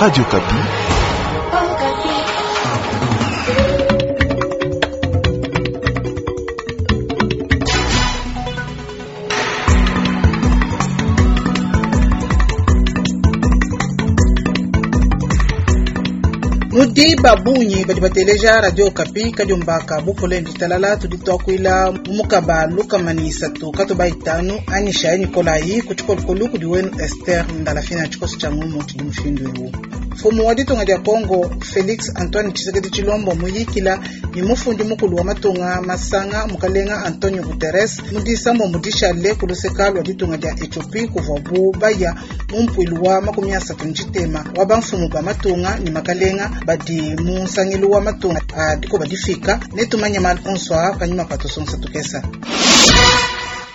Radio Okapi. Nudi ba bungi badi bateleja Radio Okapi kadiomba ka bupole ne ditalala. Tudi tuakuila mu mukaba 3 katoba 5 anyishayi nikolayi ku tshikolokolu kudi wenu Esther Ndalafina. Tshikoso tshia ngumu tshidi mushindu eu. Mfumu wa ditunga dia Congo Felix Antoine Tshisekedi Tshilombo muyikila ne mufundi mukulu wa matunga masanga mukalenga Antonio Guterres mu disambombo dishale ku luseka lua ditunga dia Ethiopie kuvuabu baya mu mpuilu wa 33 wa bamfumu ba matunga ne makalenga badi mu nsangilu wa matunga a dikoba difika. Netumanye malu onso aa panyima pa tusonsa tukesa.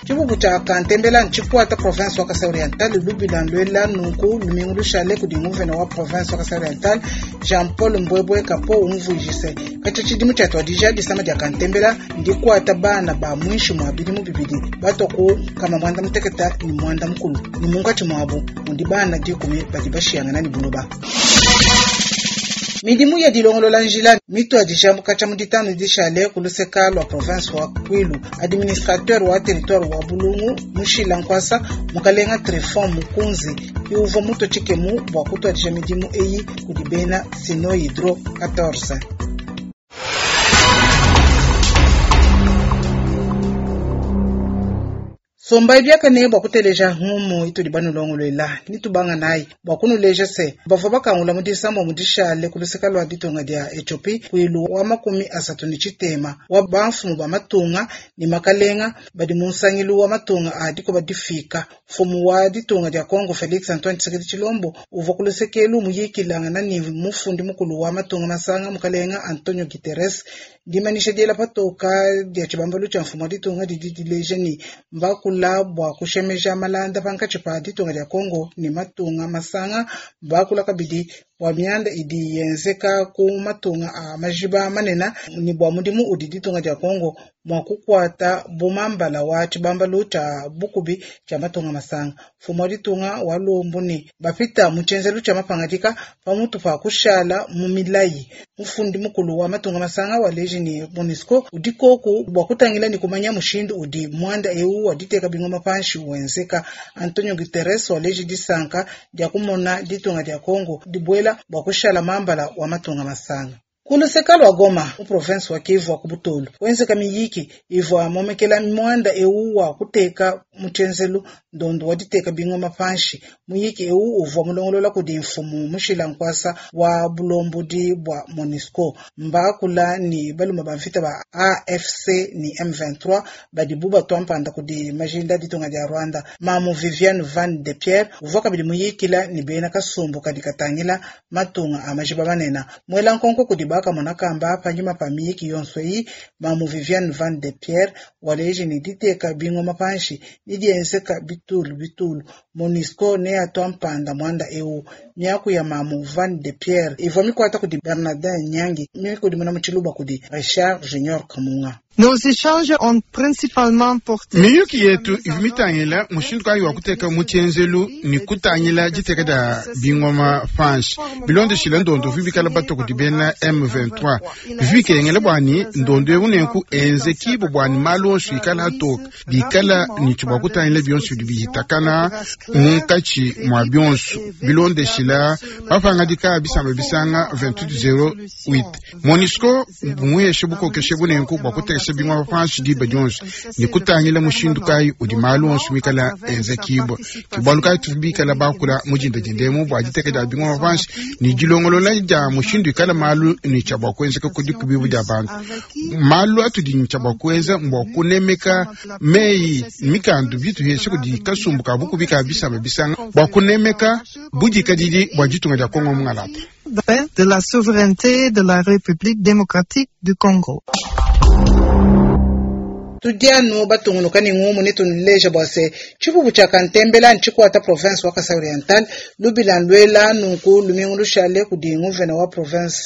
Tshipupu tshia Kantembela ntshikuata province wa Kasai Oriental lubila luela nunku lumingu lushale kudi nguvena wa province wa Kasai Oriental Jean-Paul Mbwebwe Kapo umvuijise katshia tshidimu tshiatuadija disama dia Kantembela ndikuata bana ba muinshi mua bidimu bibidi batua ku 86 ne munkatshi muabu mudi bana 10 badi bashiyangana ne buloba. Midimu ya dilongolola njila mituadija katshia mu ditanu dishale ku luseka lua province wa Kwilu. Administrateur wa territoire wa Bulungu Mushila Nkwasa mukalenga Trifon Mukunzi ke uvua mutue tshikemu bua kutuadija midimu eyi kudi bena Sinohydro 14. Sombayi biakane bua kuteleja ngumu itudi banulongoluela nitubanga nayi bua kunuleja se bavua bakangula mu disambombo dishale ku luseka lua ditunga dia Ethiopie mpuilu wa 36 wa bamfumu ba matunga ne makalenga badi mu nsangilu wa matunga a dikoba difika. Mfumu wa ditunga dia Congo Felix Antoine Tshisekedi Tshilombo uvua ku lusekelu muyikilangana ne mufundi mukulu wa matunga masanga mukalenga Antonio Guterres. Dimanyisha diela patoka dia tshibambalu tshia mfumu wa ditunga didi dileja ne mbakula bua kushemeja malanda pankatshi pa ditunga dia Congo ne matunga masanga, mbakula kabidi bua mianda idi yenzeka ku matunga a majiba manene ne bua mudimu udi ditunga dia Congo mua kukuata bu mambala wa tshibambalu tshia bukubi tshia matunga masanga. Mfumu wa ditunga wa lumbu ne bapita mu tshienzelu tshia mapangadika pamutu pa kushala mu milayi. Mufundi mukulu wa matunga masanga waleji ne MONUSCO udi koku bua kutangila ne kumanya mushindu udi muanda eu wa diteka bingoma panshi wenzeka. Antonio Guterres waleji disanka dia kumona ditunga dia Congo dibuela bua kushala mambala wa matunga masanga. Ku luseka lua Goma mu province wa Kivu wa ku Butolu wenzeka miyiki ivua momekela muanda eu wa kuteka mu tshienzelu ndondo wa diteka bingoma panshi. Muyiki eu uvua mulongolola kudi mfumu Mushila Nkwasa wa bulombodi bua MONUSCO. Mbakula ne balume ba mvita ba AFC ne M23 badibu batua mpanda kudi majinda ditunga dia Rwanda. Mamu Viviane Van de Pierre uvua kabidi muyikila ne bena kasumbu kadi katangila matunga a majiba manene. Muela nkonko kudi bakamona kamba panyima pa miyiki yonso eyi, Mamu Viviane Van de Pierre waleji ne diteka bingoma panshi didienzeka bitulu bitulu. MONUSCO neatua mpanda muanda eu. Miaku ya Mamu Van de Pierre ivua mikuata kudi Bernardin Nyangi, mikudimuna mu tshiluba kudi Richard Junior Kamunga. Nos échanges ont principalement porté Miyuki yetu ivua mitangila mushindu kayi wa kuteka mu tshienzelu ne kutangila diteka dia bingoma panshi bilondeshile ndondo uvua bikala batua kudi bena M23. Bivua bikengela bua ne ndondo eu nenku enzekibo bua ne malu onso ikala atoka bikala ne tshibua kutangila bionso bidi bihitakana munkatshi mua bionso bilondeshila mapangadika a bisamba bisanga 2808. MONUSCO muheshe bukokeshe bunenku bua kutekesha bingoma panshi diba dionso ne kutangila mushindu kayi udi malu onso mikala enzekibwa. Ke bualu kayi tuvua bikala bakula mu dinda dindemu bua diteka dia bingoma panshi ne dilongolola dia mushindu ikala malu ne tshia bua kuenzeka ku dikubibu dia bantu. Malu atudi ne tshia bua kuenza mbua kunemeka meyi mikandu bituheshe kudi kasumbu ka bukubi ka bisamba bisanga bua kunemeka budikadidi bua ditunga dia Congo mungalata. de la souveraineté de la République démocratique du Congo. Tudi anu batungunuka ne ngumu ne tunuleja bua se tshipupu tshia kantembela ntshikuata province wa Kasai Oriental lubila luela nunku lumingu lushale kudi nguvena wa province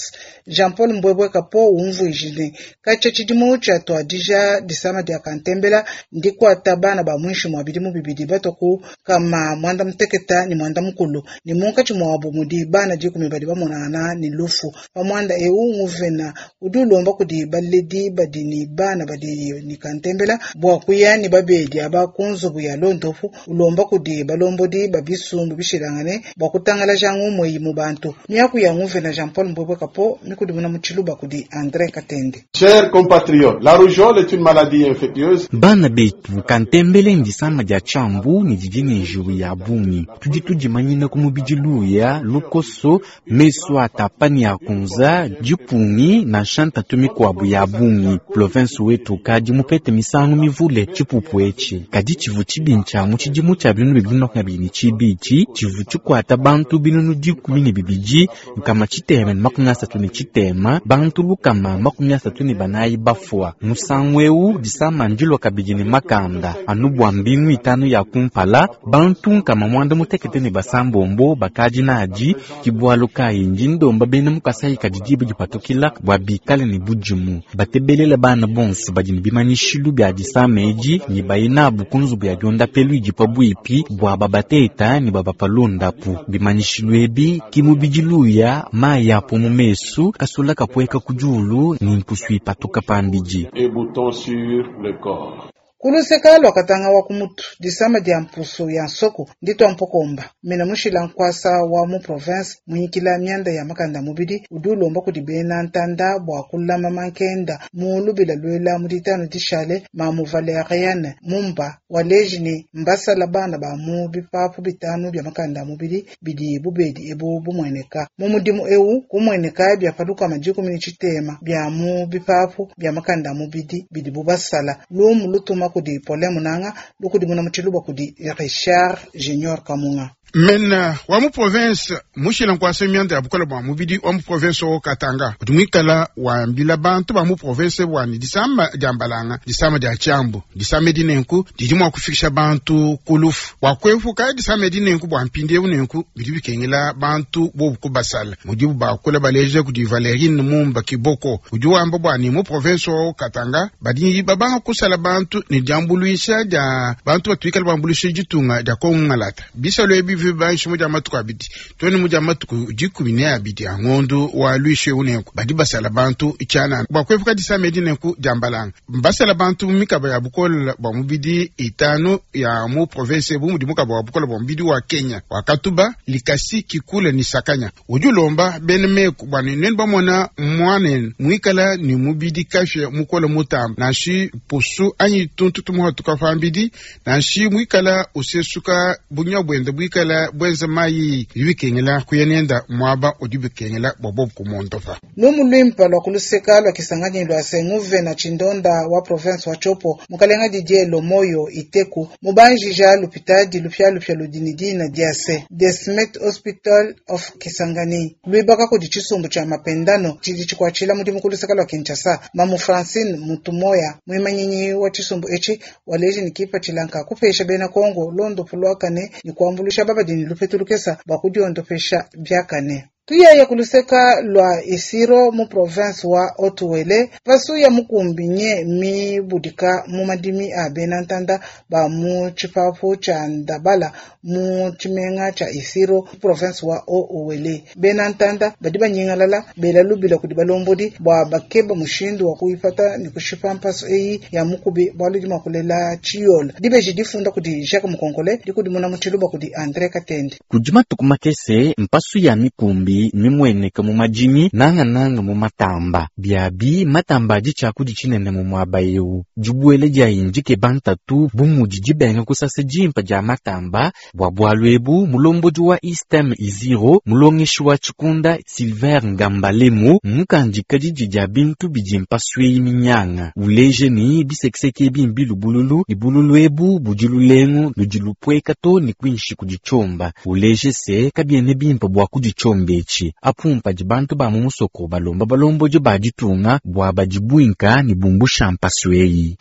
Jean-Paul Mbwebwe Kapo umvuije ne katshia tshidimu tshiatuadija disama dia kantembela ndikuata bana ba muinshi mua bidimu bibidi batua ku kama mwanda muteketa ne mwanda mukulu ne munkatshi muabu mudi bana dikumi badi bamonangana ne lufu. Pa muanda eu nguvena udi ulomba kudi baledi badi ne bana badi ne kantembela bua kuya ne babedi aba ku nzubu ya londopu, ulomba kudi balombodi ba bisumbu bishilangane bua kutangalaja ngumu eyi mu bantu. Miaku ya nguvena Jean-Paul Mbwebwe Kapo mikudimuna mu tshiluba kudi André Katende. Chers compatriotes, la rougeole est une maladie infectieuse. Bana betu kantembele ndisama dia tshiambu ne didi ne njiwu ya bungi. Tudi tudimanyina ku mubidi luya, lukoso, meso atapa ne akunza, dipungi nansha ntatu mikuabu ya bungi. Province wetu kadi mupete misangu mivule tshipupu etshi. Kadi tshivu tshibi ntshia mu tshidimu tshia 2022 tshivu tshikuata bantu 12 633, bantu 134 bafua. Musangu eu disama ndilua kabidi ne makanda anu bua mbingu 5 ya kumpala bantu 96 bakadi nadi kibwalu kayi ndi ndomba bena mu Kasai kadi diba dipatukila bua bikale ne budimu batebelela bana bonso badi ne bimanyishilu bia disama edi ne baye nabu ku nzubu ya diondapelu idi pabuipi bua babateta ne babapalondapu. Bimanyishilu ebi ki mubidi luya mayi apo mu mesu kasula kapueka ku diulu ne mpusu ipatuka pambidi. Et boutons sur le corps. Kuluseka lua katanga wa kumutu disama dia mpusu ya nsoko nditwa mpokomba mena mushila nkwasa wa mu province munyikila mianda ya makanda mubidi udi ulomba kudi bena ntanda bua kulama mankenda mu lubila lwela mu ditano dishale mamu Valeriane Mumba waleji ne mbasala bana ba mu bipapu bitanu bya makanda mubidi bidi bubedi ebu bumueneka mu mudimu eu kumueneka bya paluka majikumi tshitema bya mu bipapu bya makanda mubidi bidi bubasala lumu lutuma kudi Paulin Munanga lukudi muna mutshiluba kudi Richard Junior Kamunga. Mena wa mu province mushila nkwasa mianda ya bukola bua mubidi wa mu province wa Katanga udi muikala wambila bantu ba mu province bwani disama dia mbalanga, disama dia tshiambu, disama edi nenku didi mua kufikisha bantu ku lufu. Bua kuepuka disama edi nenku bua mpindieu nenku bidi bikengela bantu bobu kubasala mudibu bakula baleja kudi Valerine Mumba Kiboko udi wamba bwani mu province wa Katanga badi babanga kusala bantu ne diambuluisha dia bantu batuikala bambuluisha ditunga dia Kongo Ngalata. Bisalo ebi vibanshi mu dia matuku abidi tone mu dia matuku 12 a ngondu wa lwishe unenku badi basala bantu tshianana bua kuepuka disama edi nenku dia mbalanga. Basala bantu mu mikaba ya bukola bua mubidi 5 ya mu province bu mudi mukaba wa bukola bua mubidi wa Kenya wa Katuba, Likasi, Kikula ni Sakanya. Udi ulomba bene meku bua ne nenu bamona mwanenu muikala ni mubidi kafye mukola mutamba nanshi pusu anyi tuntu tumuhatuka pambidi nanshi muikala usesuka bunya bwenda bwikala bwenza mayi bikengela kuyenenda mwaba udi bikengela bwa bobu kumondopa. Lumu lwimpa lwa kuluseka lwa Kisangani lwa senguve na chindonda wa province wa Tshopo mukalenga Didier Lomoyo Iteku mubanjija lupitadi lupya lupya ludinidina diase Desmet Hospital of Kisangani lwibaka kudi tshisumbu tshia mapendano tshidi tshikwatshila mudimu kuluseka lwa Kinshasa. Mamu Francine Mutumoya mwimanyinyi wa tshisumbu etshi waleji ni kipa tshilanka kupesha bena Kongo londo pulwakane ni kuambulisha babadini lupetu lukesa bua kudiondopesha biakane. Tuyaya kuluseka lwa Isiro mu province wa Haut-Uele pasu ya mukumbi nye mi budika mu madimi a bena ntanda ba mu tshipapu tshia Ndabala mu tshimenga tshia Isiro mu province wa Haut-Uele. Bena ntanda badi banyingalala bela lubila kudi balombodi bua bakeba mushindu wa kuipata ne kushipa mpasu eyi ya mukubi bua ludi mua kulela tshiyola. Dibeji difunda kudi Jacques Mukonkole dikudimuna mu tshiluba kudi André Katende. Kudi matuku makese mpasu ya mikumbi mimweneka mu madimi nangananga mu matamba biabi matamba adi tshiakudi tshinene mu muaba eu dibuele dia indike bantatu bu mudi dibenga kusasa dimpa dia matamba bua bualu ebu mulombodi wa Istem Iziro mulongeshi wa tshikunda Silver Ngambalemu mukandika didi dia bintu bidi mpasu eyi minyanga uleje ni bisekiseke ebi mbilubululu ibululu ebu budi lulengu ludi lupueka to ni kuinshi kuditshiomba uleje se kabiene bimpa bua kuditshiomba etshi apumpa di bantu ba mu musoko balomba balombodi ba ditunga bua badibwinka ne bumbusha mpasu eyi.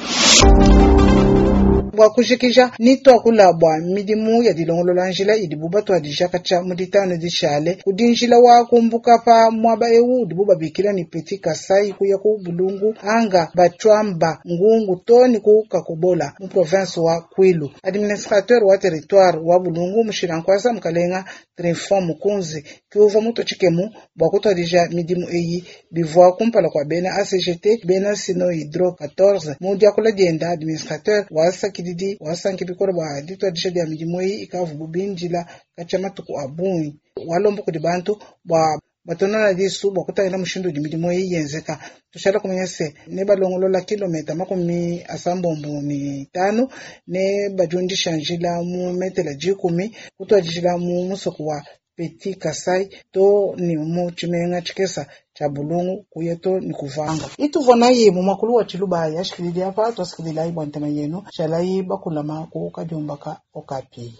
Bua kujikija ni tuakula bua midimu ya dilongolola njila idibu batuadija katshia mu ditanu dishale kudi njila wa kumbuka pa muaba ewu udibu babikila ni Petit Kasai kuya ku Bulungu anga Batshuamba Ngungu to ni ku Kakobola mu province wa Kwilu. Administrateur wa territoire wa Bulungu Mushilankwasa Mukalenga Trifon Mukunzi kiuva mutu tshikemu bua kutuadija midimu eyi bivua kumpala kua bena ACGT bena Sino Hydro 14 mu diakula dienda administrateur wa sakididi wasanki bikole bua dituadija dia midimu eyi ikavu bindila katshia matuku a bungi walomba kudi bantu bua batonona disu bua kutangila mushindu udi midimu eyi yenzeka. Tushala kumanya se ne balongolola kilomita 35 ne badiundisha njila mu metela 10 kutuadijila mu musoko wa Petit Kasai to ni mu tshimenga tshikesa tshia Bulungu kuya to ni kuvanga. Ituvua nayi mu mwakulu wa Tshiluba yashikilili apa twasikililayi bua ntema yenu shalayi bakulama ku kadiomba ka Okapi.